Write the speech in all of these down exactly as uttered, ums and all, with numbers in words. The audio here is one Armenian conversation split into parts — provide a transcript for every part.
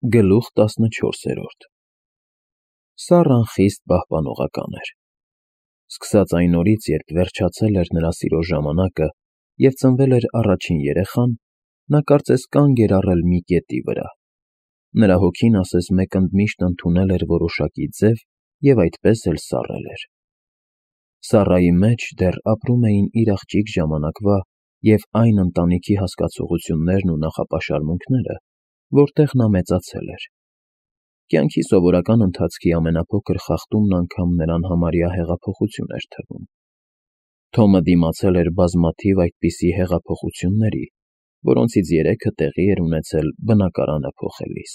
Գլուխ տասնչորսերորդ Սառան խիստ պահպանողական էր։ Սկսած այն օրից, երբ վերջացել էր նրա սիրո ժամանակը և ծնվել էր առաջին երեխան, նա կարծես կանգ էր առել մի կետի վրա. նրա հոգին ասես մեկընդմիշտ ընդունել էր որոշակի ձև և այդպես էլ սառել էր։ Սառայի մեջ դեռ ապրում էին իր աղջիկ ժամանակվա և այն ընտանիքի հասկացություններն ու նախապաշարմունքները, որտեղ նա մեծացել էր։ Կյանքի սովորական ընթացքի ամենափոքր խախտումն անգամ նրան համարյա հեղափոխություն էր թվում։ Թոմը դիմացել էր բազմաթիվ այդպիսի հեղափոխությունների, որոնցից երեքը տեղի էր ունեցել բնակարանը փոխելիս։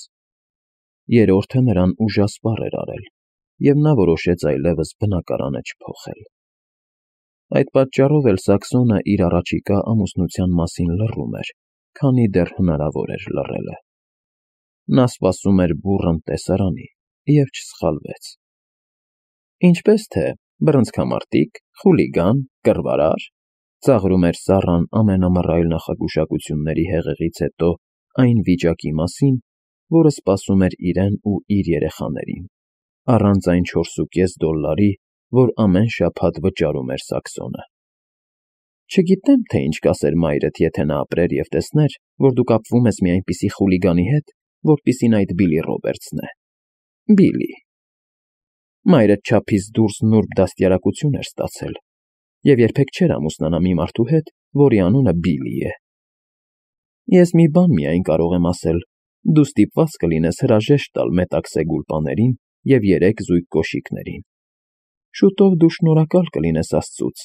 Երրորդը նրան ուժասպառ էր արել, և նա որոշեց այլևս բնակարանը չփոխել։ Այդ պատճառով էլ Սաքսոնը իր առաջիկա ամուսնության մասին լռում էր, քանի դեռ հնարավոր էր լռելը։ Նա սպասում էր բուռն տեսարանի և չսխալվեց։ Ինչպե՞ս թե, բռնցքամարտի՞կ, խուլիգա՞ն, կռվարա՞ր,֊ ծաղրում էր Սառան ամենամռայլ նախագուշակությունների հեղեղից հետո այն վիճակի մասին, որը սպասում էր իրեն ու իր երեխաներին, առանց այն չորսուկես դոլլարի, որ ամեն շաբաթ վճարում էր Սաքսոնը։ Չգիտեմ, թե ինչ կասեր մայրդ, եթե նա ապրեր և տեսներ, որ դու կապվում ես մի այնպիսի խուլիգանի հետ, որպիսին այդ Բիլի Ռոբերտսն է։ Բիլի… Մայրդ չափից դուրս նուրբ դաստիարակություն էր ստացել և երբեք չէր ամուսնանա մի մարդու հետ, որի անունը Բիլի է։ Ես մի բան միայն կարող եմ ասել. դու ստիպված կլինես հրաժեշտ տալ մետաքսե գուլպաներին և երեք զույգ կոշիկներին։ Շուտով դու շնորհակալ կլինես աստծուց,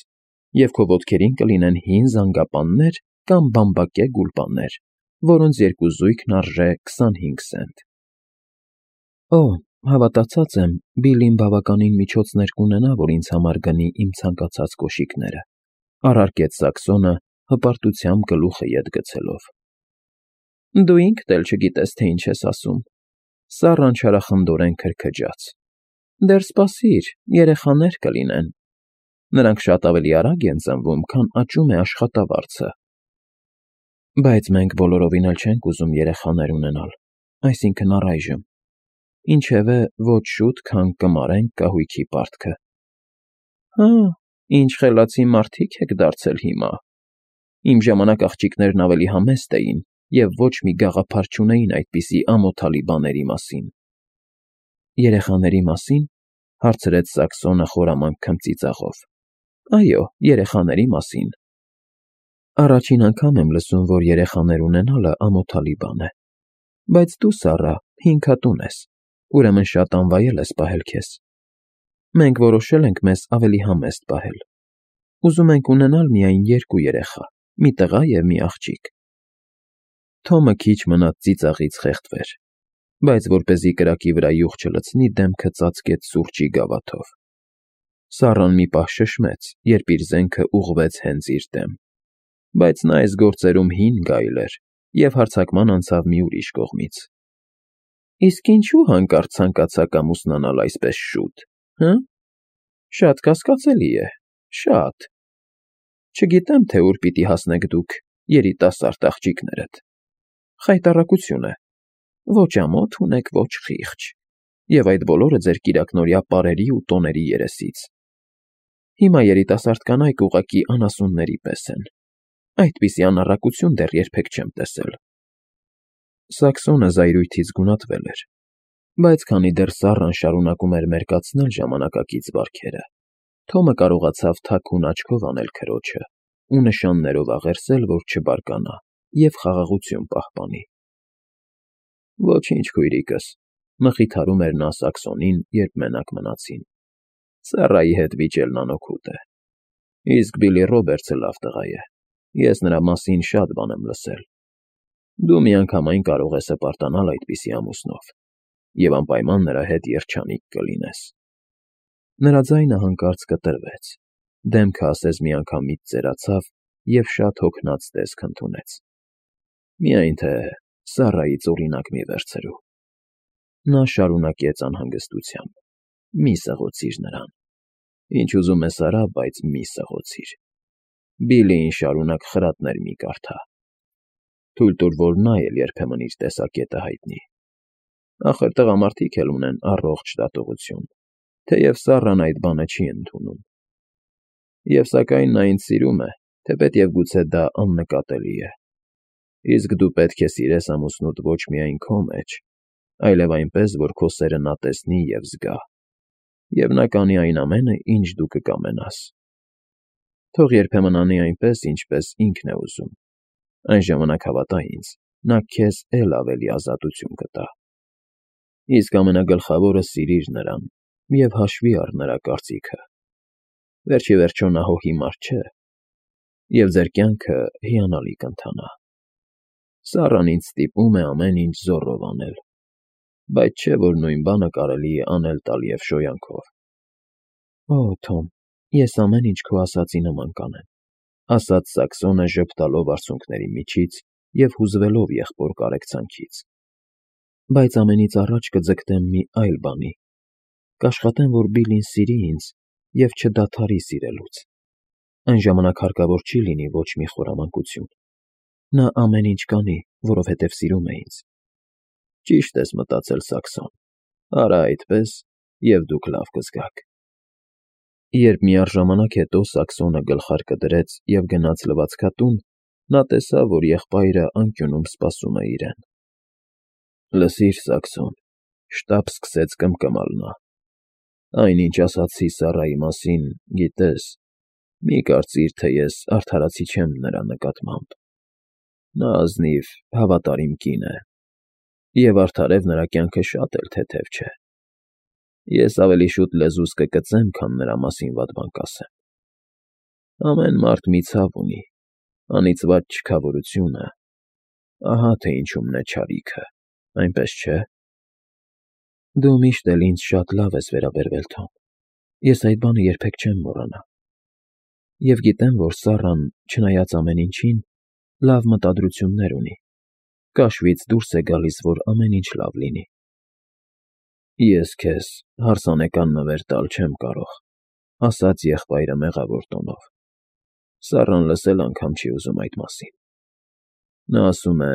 և քո ոտքերին կլինեն հին զանգապաններ կամ բամբակե գուլպաներ, որոնց երկու զույգն արժե քսանհինգ սենտ։ Օ, հավատացած եմ, Բիլին բավականին միջոցներ կունենա, որ ինձ համար գնի իմ ցանկացած կոշիկները,֊ առարկեց Սաքսոնը, հպարտությամբ գլուխը ետ գցելով։ Դու ինքդ էլ չգիտես, թե ինչ ես ասում,֊ Սառան չարախնդորեն քրքջաց։ Դեռ սպասիր, երեխաներ կլինեն։ Նրանք շատ ավելի արագ են ծնվում, քան աճում է աշխատավարձը։ Բայց մենք բոլորովին էլ չենք ուզում երեխաներ ունենալ, այսինքն՝ առայժմ, ինչևէ, ոչ շուտ, քան կմարենք կահույքի պարտքը։ Հա, ինչ խելացի մարդիկ եք դարձել հիմա։ Իմ ժամանակ աղջիկներն ավելի համեստ էին և ոչ մի գաղափար չունեին այդպիսի ամոթալի բաների մասին։ Երեխաների մասի՞ն,֊ հարցրեց Սաքսոնը խորամանկ քմծիծաղով։ Այո, երեխաների մասին։ Առաջին անգամ եմ լսում, որ երեխաներ ունենալը ամոթալի բան է։ Բայց դու, Սառա, հինգատուն ես, ուրեմն շատ անվայել ես պահել քեզ։ Մենք որոշել ենք մեզ ավելի համեստ պահել։ Ուզում ենք ունենալ միայն երկու երեխա՝ մի տղա և մի աղջիկ։ Թոմը քիչ մնաց ծիծաղից խեղդվեր, բայց որպեսզի կրակի վրա յուղ չլցնի, դեմքը ծածկեց սուրճի գավաթով։ Սառան մի պահ շշմեց, երբ իր զենքը ուղղվեց հենց իր դեմ, բայց նա այս գործերում հին գայլ էր և հարձակման անցավ մի ուրիշ կողմից։ Իսկ ինչո՞ւ հանկարծ ցանկացաք ամուսնանալ այսպես շուտ, հը՞։ Շատ կասկածելի է, շատ։ Չգիտեմ, թե ուր պիտի հասնեք դուք, երիտասարդ աղջիկներդ։ Խայտառակություն է, ոչ ամոթ ունեք, ոչ խիղճ, և այդ բոլորը ձեր կիրակնօրյա պարերի ու տոների երեսից։ Հիմա երիտասարդ կանայք ուղղակի անասունների պես են։ Այդպիսի անառակություն դեռ երբեք չեմ տեսել։ Սաքսոնը զայրույթից գունատվել էր, բայց քանի դեռ Սառան շարունակում էր մերկացնել ժամանակակից վարքերը, Թոմը կարողացավ թաքուն աչքով անել քրոջը ու նշաններով աղերսել, որ չբարկանա և խաղաղություն պահպանի։ Ոչինչ, քույրիկս,֊ մխիթարում էր նա Սաքսոնին, երբ մենակ մնացին։ Սառայի հետ վիճելն անօգուտ է։ Իսկ Բիլի Ռոբերտսը լավ տղա է, ես նրա մասին շատ բան եմ լսել։ Դու միանգամայն կարող ես հպարտանալ այդպիսի ամուսնով և անպայման նրա հետ երջանիկ կլինես։ Նրա ձայնը հանկարծ կտրվեց, դեմքը ասես միանգամից ծերացավ և շատ հոգնած տեսք ընդունեց։ Միայն թե Սառայից օրինակ մի վերցրու։ Նա շարունակեց անհանգստությամբ. Մի սղոցիր նրան։ Ինչ ուզում ես արա, բայց մի սղոցիր։ Բիլիին շարունակ խրատներ մի կարդա։ Թույլ տուր, որ նա էլ երբեմն իր տեսակետը հայտնի։ Ախր տղամարդիկ էլ ունեն առողջ դատողություն, թեև Սառան այդ բանը չի ընդունում։ Եվ սակայն նա ինձ սիրում է, թեպետև գուցե դա աննկատելի է։ Իսկ դու պետք է սիրես ամուսնուդ ոչ միայն քո մեջ, այլև այնպես, որ քո սերը նա տեսնի և զգա, և նա կանի այն ամենը, ինչ դու կկամենաս։ Թող երբեմն անի այնպես, ինչպես ինքն է ուզում, այն ժամանակ, հավատա ինձ, նա քեզ էլ ավելի ազատություն կտա։ Իսկ ամենագլխավորը սիրիր նրան և հաշվի առ նրա կարծիքը։ Վերջ ի վերջո նա հո հիմար չէ, և ձեր կյանքը հիանալի կընթանա։ Սառան ինձ ստիպում է ամեն ինչ զոռով անել, բայց չէ, որ նույն բանը կարելի է անել տալ և շոյանքով։ Օ, Թոմ, ես ամեն ինչ քո ասածի նման կանեմ, ասաց Սաքսոնը ժպտալով արցունքների միջից և հուզվելով եղբոր կարեկցանքից։ Բայց ամենից առաջ կձգտեմ մի այլ բանի. կաշխատեմ, որ Բիլլին սիրի ինձ և չդադարի սիրելուց։ Այն ժամանակ հարկավոր չի լինի ոչ մի խորամանկություն։ Նա ամեն ինչ կանի, որովհետև սիրում է ինձ։ Ճիշտ ես մտածել, Սաքսոն, արա այդպես, և դուք լավ կզգաք։ Երբ միառժամանակ հետո Սաքսոնը գլխարկը դրեց և գնաց լվացքատուն, նա տեսավ, որ եղբայրը անկյունում սպասում է իրեն։ Լսիր, Սաքսոն, շտապ սկսեց կմկմալ նա, այնինչ ասացի Սառայի մասին, գիտես, մի կարծիր, թե ես արդարացի չեմ նրա նկատմամբ։ Նա ազնիվ, հավատարիմ կին է, և արդարև նրա կյանքը շատ էլ թեթև չէ։ Ես ավելի շուտ լեզուս կկծեմ, քան նրա մասին վատ բան կասեմ։ Ամեն մարդ մի ցավ ունի, անիծված չքավորությունը, ահա թե ինչումն է չարիքը, այնպես չէ։ Դու միշտ էլ ինձ շատ լավ ես վերաբերվել, Թոմ, ես այդ բանը երբեք չեմ մոռանա։ Եվ գիտեմ, որ Սառան, չնայած ամեն ինչին, լավ մտադրություններ ունի, կաշվից դուրս է գալիս, որ ամեն ինչ լավ լինի։ Ես քեզ հարսանեկան նվեր տալ չեմ կարող, ասաց եղբայրը մեղավոր տոնով։ Սառան լսել անգամ չի ուզում այդ մասին։ Նա ասում է,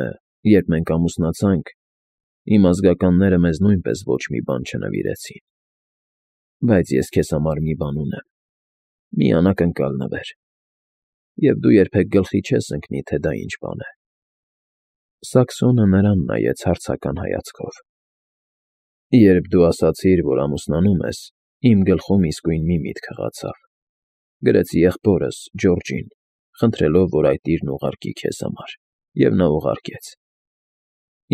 երբ մենք ամուսնացանք, իմ ազգականները մեզ նույնպես ոչ մի բան չնվիրեցին։ Բայց ես քեզ համար մի բան ունեմ, մի անակնկալ նվեր, և դու երբեք գլխի չես ընկնի, թե դա ինչ բան է։ Սաքսոնը նրան նայեց հարցական հայացքով։ Երբ դու ասացիր, որ ամուսնանում ես, իմ գլխում իսկույն մի միտք հղացավ։ Գրեցի եղբորս՝ Ջորջին, խնդրելով, որ այդ իրն ուղարկի քեզ համար, և նա ուղարկեց։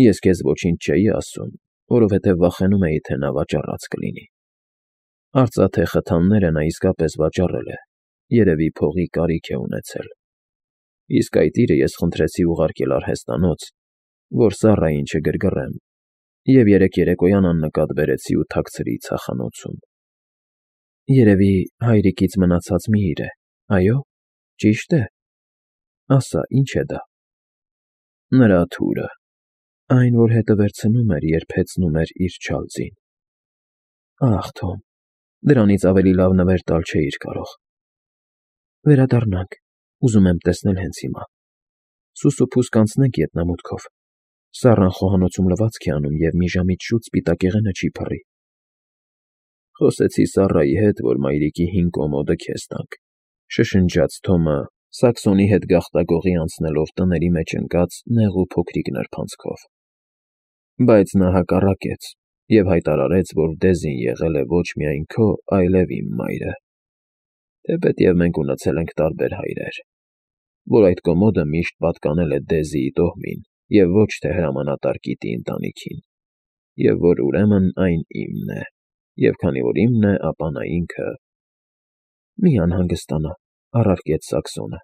Ես քեզ ոչինչ չէի ասում, որովհետև վախենում էի, թե նա վաճառած կլինի։ Արծաթե խթանները նա իսկապես վաճառել է, երևի փողի կարիք է ունեցել։ Իսկ այդ իրը ես խնդրեցի ուղարկել արհեստանոց, որ Սառային չգրգռեմ, և երեկ երեկոյան աննկատ բերեցի ու թաքցրի ցախանոցում։ Երևի հայրիկից մնացած մի իր է, այո՞, ճի՞շտ է։ Ասա, ի՞նչ է դա։ Նրա թուրը, այն, որ հետը վերցնում էր, երբ հեծնում էր իր չալծին։ Ախ, Թոմ, դրանից ավելի լավ նվեր տալ չէիր կարող։ Վերադառնանք, ուզում եմ տեսնել հենց հիմա։ Սուս ու փուս կանցնենք ետնամուտքով։ Սառան խոհանոցում լվացք է անում, և մի ժամից շուտ սպիտակեղենը չի փռի։ Խոսեցի Սառայի հետ, որ մայրիկի հին կոմոդը քեզ տանք, շշնջաց Թոմը, Սաքսոնի հետ գաղտագողի անցնելով տների մեջ ընկած նեղ ու փոքրիկ նրբանցքով։ Բայց նա հակառակեց և հայտարարեց, որ Դեզին եղել է ոչ միայն քո, այլև իմ մայրը, թեպետև մենք ունեցել ենք տարբեր հայրեր, որ այդ կոմոդը միշտ պատկանել է Դեզիի տոհմին և ոչ թե հրամանատար կիտի ընտանիքին, և որ ուրեմն այն իմն է, և քանի որ իմն է, ապա նա ինքը… Մի անհանգստանա, առարկեց Սաքսոնը,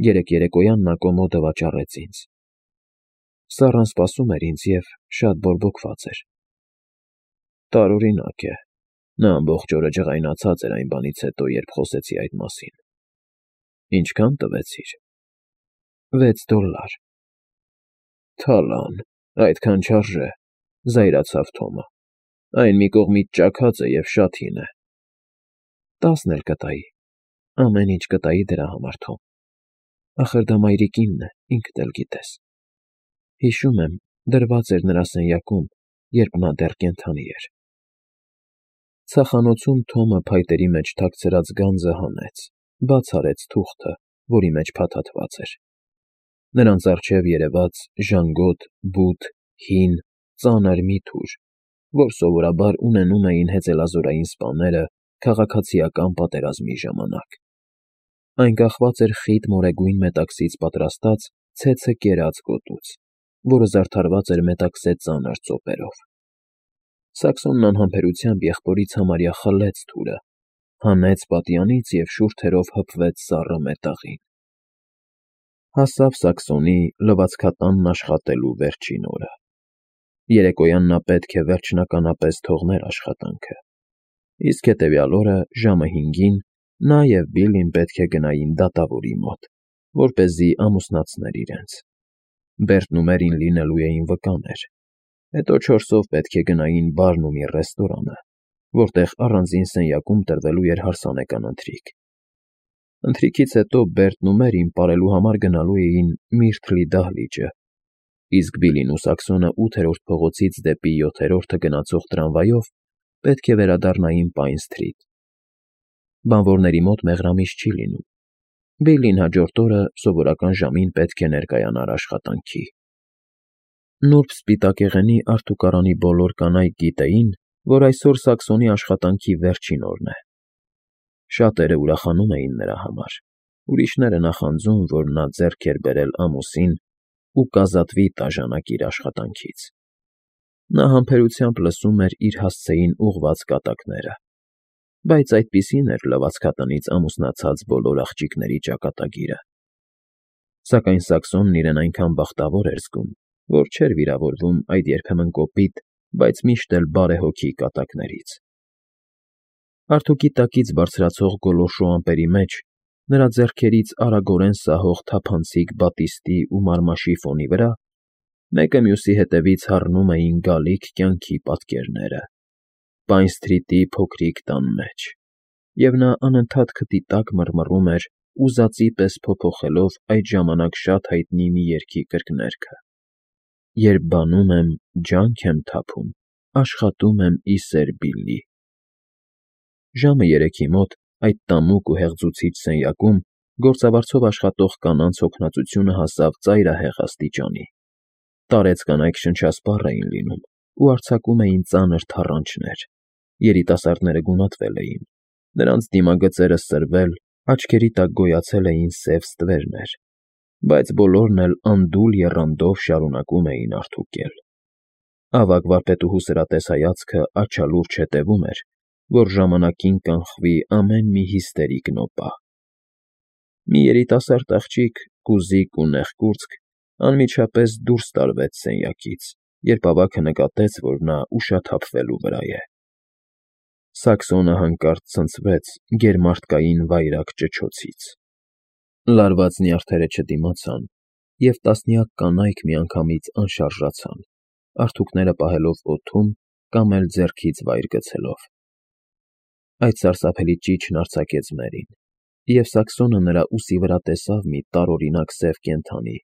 երեկ երեկոյան նա կոմոդը վաճառեց ինձ։ Սառան սպասում էր ինձ և շատ բորբոքված էր։ Տարօրինակ է, նա ամբողջ օրը ջղայնացած էր այն բանից հետո, երբ խոսեցի այդ մասին։ Ինչքա՞ն տվեցիր։ Վեց դոլլար։ Թալան, այդքան չարժե, զայրացավ Թոմը, այն մի կողմից ճաքած է և շատ հին է։ Տասն էլ կտայի, ամեն ինչ կտայի դրա համար, Թոմ, ախր դա մայրիկինն է, ինքդ էլ գիտես։ Հիշում եմ, դրված էր նրա սենյակում, երբ նա դեռ կենդանի էր։ Ցախանոցում Թոմը փայտերի մեջ թաքցրած գանձը հանեց, բաց արեց թուղթը, որի մեջ փաթաթված էր։ Նրանց առջև երևաց ժանգոտ, բութ, հին, ծանր մի թուր, որ սովորաբար ունենում էին հեծելազորային սպաները քաղաքացիական պատերազմի ժամանակ։ Այն կախված էր խիտ մորեգույն մետաքսից պատրաստած ցեցը կերած գոտուց, որը զարդարված էր մետաքսե ծանր ծոպերով։ Սաքսոնն անհամբերությամբ եղբորից համարյա խլեց թուրը, հանեց պատյանից և շուրթերով հպվեց սառը մետաղին։ Հասավ Սաքսոնի լվացքատանն աշխատելու վերջին օրը։ Երեկոյան նա պետք է վերջնականապես թողներ աշխատանքը, իսկ հետևյալ օրը ժամը հինգին նա և Բիլլին պետք է գնային դատավորի մոտ, որպեսզի ամուսնացներ իրենց։ Բերտն ու Մերին լինելու էին վկաներ, հետո չորսով պետք է գնային բարն ու մի ռեստորանը, որտեղ առանձին սենյակում տրվելու էր հարսանեկան ընթրիք։ Ընթրիքից հետո Բերտն ու Մերին պարելու համար գնալու էին Միրթլի դահլիճը, իսկ Բիլլին ու Սաքսոնը ութերորդ փողոցից դեպի յոթերորդը գնացող տրամվայով պետք է վերադառնային Պայն Սթրիթ։ Բանվորների մոտ մեղրամիս չի լինում։ Բիլլին հաջորդ օրը սովորական ժամին պետք է ներկայանար աշխատանքի։ Նուրբ սպիտակեղենի արթուկարանի բոլոր կանայք գիտեին, որ այսօր Սաքսոնի աշխատանքի վերջին օրն է։ Շատերը ուրախանում էին նրա համար, ուրիշները նախանձում, որ նա ձեռք էր բերել ամուսին ու կազատվի տաժանակ իր աշխատանքից։ Նա համբերությամբ լսում էր իր հասցեին ուղղված կատակները, բայց այդպիսին էր լվացքատնից ամուսնացած բոլոր աղջիկների ճակատագիրը։ Սակայն Սաքսոնն իրեն այնքան բախտավոր էր զգում, որ չէր վիրավորվում այդ երբեմն կոպիտ, բայց միշտ էլ բարեհոգի կատակներից։ Արթուկի տակից բարձրացող գոլորշու ամպերի մեջ նրա ձեռքերից արագորեն սահող թափանցիկ բատիստի ու մարմաշի ֆոնի վրա մեկը մյուսի հետևից հառնում էին գալիք կյանքի պատկերները Պայն Սթրիթի փոքրիկ տան մեջ, և նա անընդհատ քթի տակ մռմռում էր ուզածի պես փոփոխելով այդ ժամանակ շատ հայտնի մի երգի կրկներգը. «Երբ բանում եմ, ջանք եմ թափում, աշխատում եմ ի սեր Բիլլի»։ Ժամը երեքի մոտ այդ տամուկ ու հեղձուցիչ սենյակում գործավարձով աշխատող կանանց հոգնածությունը հասավ ծայրահեղ աստիճանի։ Տարեց կանայք շնչասպառ էին լինում ու արձակում էին ծանր թառանչներ։ Երիտասարդները գունատվել էին, նրանց դիմագծերը սրվել, աչքերի տակ գոյացել էին սև ստվերներ, բայց բոլորն էլ անդուլ եռանդով շարունակում էին արթուկել։ Ավագ վարպետուհու սրատես հայացքը աչալուրջ հետևում էր, որ ժամանակին կանխվի ամեն մի հիստերիկ նոպա։ Մի երիտասարդ աղջիկ, կուզիկ ու նեղկուրծք, անմիջապես դուրս տարվեց սենյակից, երբ ավագը նկատեց, որ նա ուշաթափվելու վրա է։ Սաքսոնը հանկարծ ցնցվեց գերմարդկային վայրագ ճչոցից։ Լարված նյարդերը չդիմացան, և տասնյակ կանայք միանգամից անշարժացան, արթուկները պահելով օդում կամ էլ ձեռքից վայր գցելով։ Այդ սարսափելի ճիչն արձակեց Մերին, և Սաքսոնը նրա ուսի վրա տեսավ մի տարօրինակ սև կենդանի,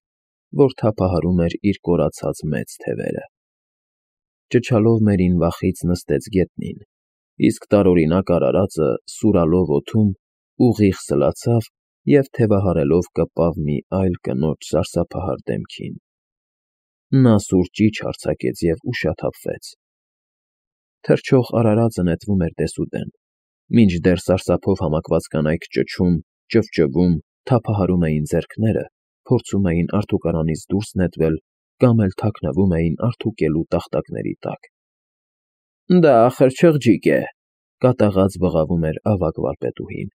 որ թափահարում էր իր կորացած մեծ թևերը։ Ճչալով Մերին վախից նստեց գետնին, իսկ տարօրինակ արարածը սուրալով օդում ուղիղ սլացավ և թևահարելով կպավ մի այլ կնոջ սարսափահար դեմքին։ Նա սուր ճիչ արձակեց և ուշաթափվեց։ Թռչող արարածը նետվում էր դեսուդեն, մինչդեռ սարսափով համակված կանայք ճչում, ճվճվում, թափահարում էին ձեռքները, փորձում էին արթուկարանից դուրս նետվել կամ էլ թաքնվում էին արթուկելու տախտակների տակ։ ֊ Դա ախր չղջիկ է,֊ կատաղած բղավում էր ավագ վարպետուհին։֊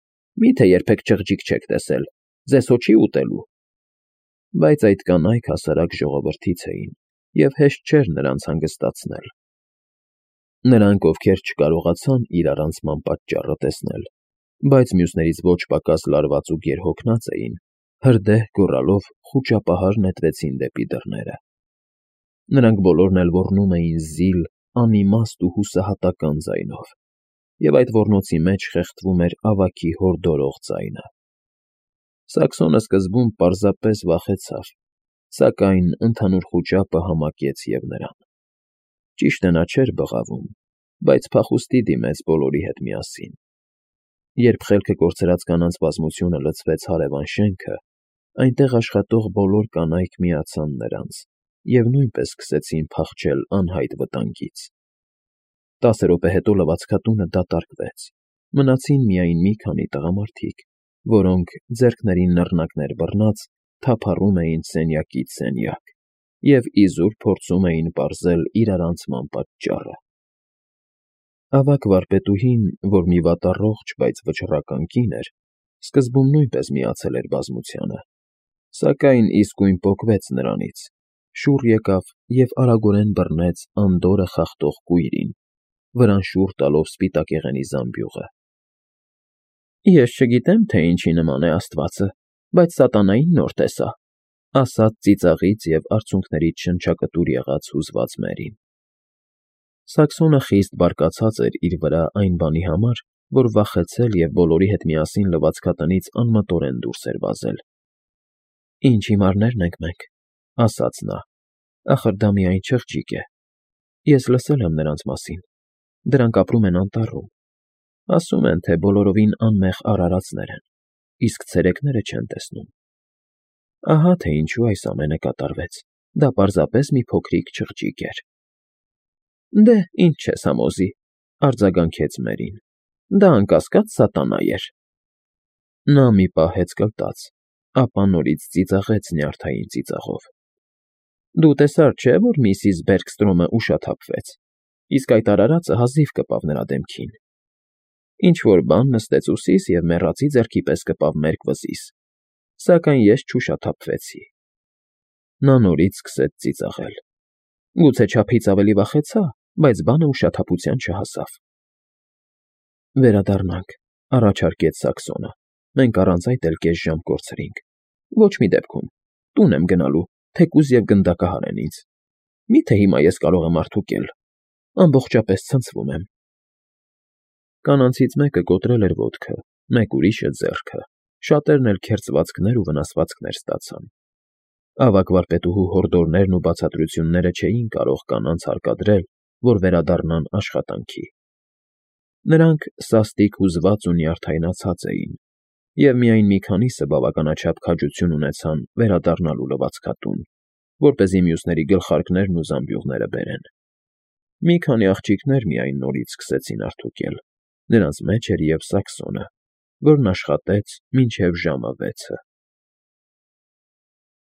Մի՞թե երբեք չղջիկ չեք տեսել, ձեզ հո չի ուտելու։ Բայց այդ կանայք հասարակ ժողովրդից էին, և հեշտ չէր նրանց հանգստացնել։ Նրանք, ովքեր չկարողացան իր առանցման պատճառը տեսնել, բայց մյուսներից ոչ պակաս լարված ու գերհոգնած էին, հրդեհ գոռալով խուճապահար նետվեցին դեպի դռները։ Նրանք բոլորն էլ ոռնում էին զիլ, անիմաստ ու հուսահատական ձայնով, և այդ ոռնոցի մեջ խեղդվում էր ավագի հորդորող ձայնը։ Սաքսոնը սկզբում պարզապես վախեցավ, սակայն ընդհանուր խուճապը համակեց և նրան։ Ճիշտ է, նա չէր բղավում, բայց փախուստի դիմեց բոլորի հետ միասին։ Երբ խելքը կորցրած կանանց բազմությունը լցվեց հարևան շենքը, այնտեղ աշխատող բոլոր կանայք միացան նրանց և նույնպես սկսեցին փախչել անհայտ վտանգից։ Տասը րոպե հետո լվացքատունը դատարկվեց, մնացին միայն մի քանի տղամարդիկ, որոնք, ձեռքներին նռնակներ բռնած, թափառում էին սենյակից սենյակ և իզուր փորձում էին պարզել իրարանցման պատճառը։ Ավագ վարպետուհին, որ մի վատառողջ, բայց վճռական կին էր, սկզբում նույնպես միացել էր բազմությանը, սակայն իսկույն պոկվեց նրանից, շուռ եկավ և արագորեն բռնեց անդորրը խախտող կույրին, վրան շուռ տալով սպիտակեղենի զամբյուղը։ «Ես չգիտեմ, թե ինչի նման է աստվածը, բայց սատանային նոր տեսա», ասաց ծիծաղից և արցունքներից շնչակտուր եղած հուզված Մերին։ Սաքսոնը խիստ բարկացած էր իր վրա այն բանի համար, որ վախեցել և բոլորի հետ միասին լվացքատնից անմտորեն դուրս էր վազել։ «Ինչ հիմարներ ենք մենք», ֊ ասաց նա, ֊ ախր դա միայն չղջիկ է։ Ես լսել եմ նրանց մասին, դրանք ապրում են անտառում, ասում են, թե բոլորովին անմեղ արարածներ են, իսկ ցերեկները չեն տեսնում։ Ահա թե ինչու այս ամենը կատարվեց, դա պարզապես մի փոքրիկ չղջիկ էր։ «Դե, ինչ չես համոզի», ֊ արձագանքեց Մերին, ֊ դա անկասկած սատանա էր։ Նա մի պահ հեծկլտաց, ապա նորից ծիծաղեց նյարդային ծիծաղով։ «Դու տեսար, չէ՞, որ միսիս Բերգստրոմը ուշաթափվեց, իսկ այդ արարածը հազիվ կպավ նրա դեմքին։ Ինչ֊որ բան նստեց ուսիս և մեռածի ձեռքի պես կպավ մերկ վզիս, սակայն ես չուշաթափվեցի»։ Նա նորից սկսեց ծիծաղել։ Գուցե չափից ավելի վախեցա, բայց բանը ուշաթափության չհասավ։ «Վերադառնանք», ֊ առաջարկեց Սաքսոնը, ֊ մենք առանց այդ էլ կես ժամ կորցրինք։ Ոչ մի դեպքում, տուն եմ գնալու, թեկուզ և գնդակահար են ինձ։ Մի՞թե հիմա ես կարող եմ արդուկել, ամբողջապես ցնցվում եմ։ Կանանցից մեկը կոտրել էր ոտքը, մեկ ուրիշը՝ ձեռքը, շատերն էլ քերծվածքներ ու վնասվածքներ ստացան։ Ավագ վարպետուհու հորդորներն ու բացատրությունները չէին կարող կանանց հարկադրել, որ վերադառնան աշխատանքի։ Նրանք սաստիկ հուզված ու նյարդայնացած էին, և միայն մի քանիսը բավականաչափ քաջություն ունեցան վերադառնալու լվացքատուն, որպեսզի մյուսների գլխարկներն ու զամբյուղները բերեն։ Մի քանի աղջիկներ միայն նորից սկսեցին արդուկել, նրանց մեջ էր և Սաքսոնը, որն աշխատեց մինչև ժամը վեցը։